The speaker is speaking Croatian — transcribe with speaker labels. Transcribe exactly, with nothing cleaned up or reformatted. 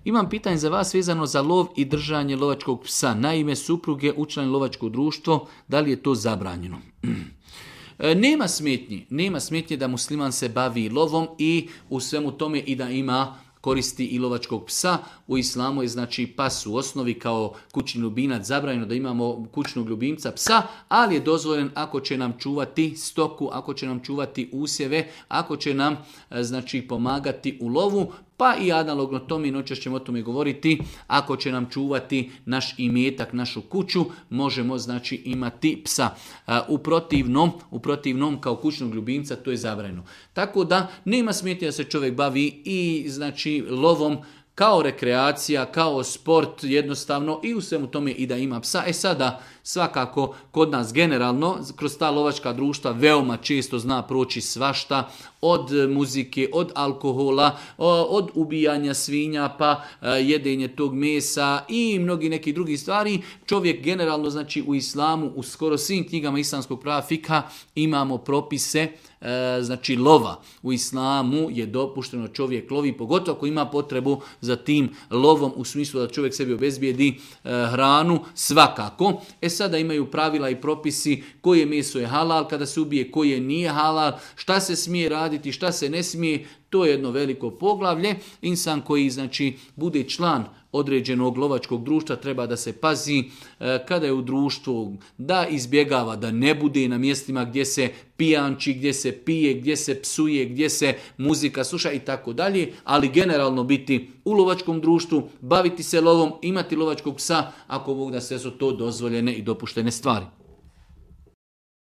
Speaker 1: Imam pitanje za vas vezano za lov i držanje lovačkog psa. Naime, supruge učlani lovačko društvo, da li je to zabranjeno? Nema smetnji, nema smetnje da musliman se bavi lovom i u svemu tome i da ima koristi i lovačkog psa. U islamu je znači pas u osnovi kao kućni ljubimac, zabranjeno da imamo kućnog ljubimca psa, ali je dozvoljen ako će nam čuvati stoku, ako će nam čuvati usjeve, ako će nam znači pomagati u lovu, pa i analogno tome, noćas ćemo o tome govoriti, ako će nam čuvati naš imetak, našu kuću, možemo znači imati psa. U protivnom, u protivnom kao kućnog ljubimca to je zabranjeno. Tako da nema smetnje da se čovjek bavi i znači lovom kao rekreacija, kao sport jednostavno i u svemu tome i da ima psa. E sada svakako kod nas generalno kroz ta lovačka društva veoma često zna proći svašta, od muzike, od alkohola, od ubijanja svinja pa jedenje tog mesa i mnogi neki drugi stvari. Čovjek generalno znači u islamu, u skoro svim knjigama islamskog prava fika imamo propise znači lova. U islamu je dopušteno čovjek lovi, pogotovo ako ima potrebu za tim lovom u smislu da čovjek sebi obezbijedi hranu, svakako. E sada imaju pravila i propisi koje meso je halal kada se ubije, koje nije halal, šta se smije raditi, šta se ne smije. To je jedno veliko poglavlje. Insan koji znači bude član određenog lovačkog društva treba da se pazi e, kada je u društvu, da izbjegava, da ne bude na mjestima gdje se pijanči, gdje se pije, gdje se psuje, gdje se muzika sluša i tako dalje, ali generalno biti u lovačkom društvu, baviti se lovom, imati lovačkog psa, ako Bog da sve su to dozvoljene i dopuštene stvari.